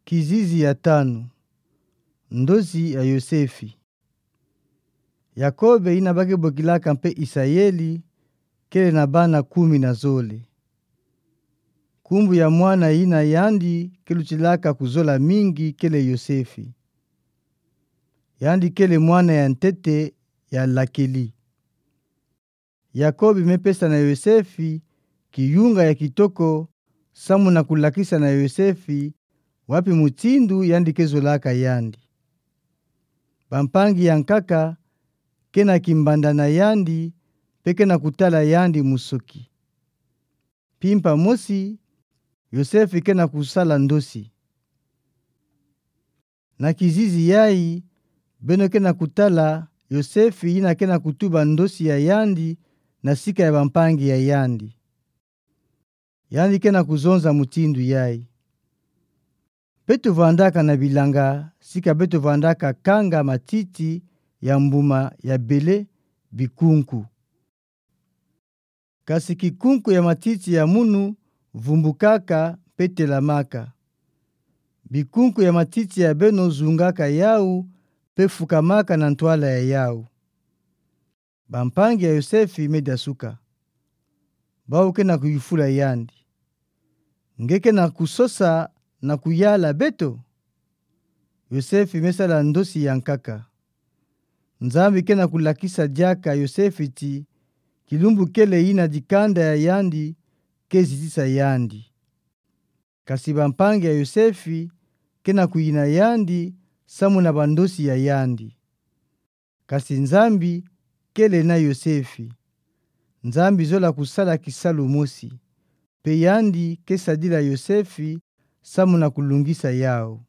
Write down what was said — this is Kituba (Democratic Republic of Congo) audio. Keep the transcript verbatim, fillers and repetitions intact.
Kizizi ya tanu. Ndosi ya Yosefi. Yakobe, ina bake bokilaka mpe Isayeli, kele na bana kumi na zole. Nkumbu ya mwana ina yandi ke lutilaka kuzola mingi kele Yosefi. Yandi kele mwana ya ntete ya Rakeli. Yakobe mepesa na Yosefi kiyunga ya kitoko, samu na kulakisa na Yosefi wapi mutindu yandi ke zolaka yandi. Bampangi ya nkaka ke na kimbanda na yandi, mpe ke na kutala yandi musoki. Mpimpa mosi, Yosefi ke na kusala ndosi. Na kizizi yayi, beno ke na kutala Yosefi ina ke na kutuba ndosi ya yandi na sika ya bampangi ya yandi. Yandi ke na kuzonza mutindu yayi: Beto vandaka na bilanga sika beto vandaka kanga matiti ya mbuma ya bele bikunku. Kasi kikunku ya matiti ya munu vumbukaka mpe telamaka. Bikunku ya matiti ya beno zungaka yawu mpe fukamaka na ntwala ya yawu. Bampangi ya Yosefi mediasuka. Bawu ke na kuyufula yandi: Nge ke na kusosa na kuyala beto? Yosefi mesala ndosi ya nkaka. Nzambi ke na kulakisa diaka Yosefi ti kilumbu kele ina dikanda ya yandi ke zitisa yandi. Kasi bampangi ya Yosefi ke na kuyina yandi samu na bandosi ya yandi. Kasi Nzambi kele na Yosefi. Nzambi zola kusala kisalu mosi, mpe yandi ke sadila Yosefi samu na kulungisa yawu.